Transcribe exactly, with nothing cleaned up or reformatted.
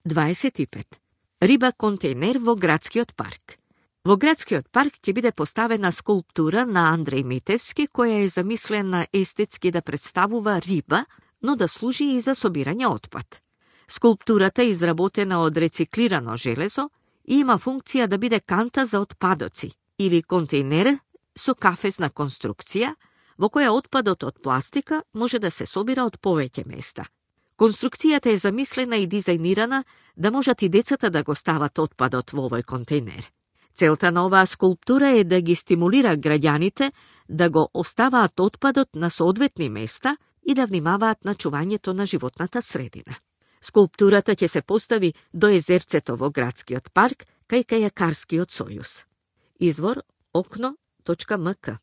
дваесет и пет. Риба контейнер во градскиот парк. Во градскиот парк ќе биде поставена скулптура на Андреј Митевски, која е замислена естетски да представува риба, но да служи и за собирање отпад. Скулптурата е изработена од рециклирано железо и има функција да биде канта за отпадоци или контейнер со кафезна конструкција, во која отпадот од пластика може да се собира од повеќе места. Конструкцијата е замислена и дизајнирана да можат и децата да го стават отпадот во овој контейнер. Целта на оваа скулптура е да ги стимулира граѓаните да го оставаат отпадот на соодветни места и да внимаваат на чувањето на животната средина. Скулптурата ќе се постави до езерцето во градскиот парк кај Кајакарскиот сојуз. Извор окно точка ем ка.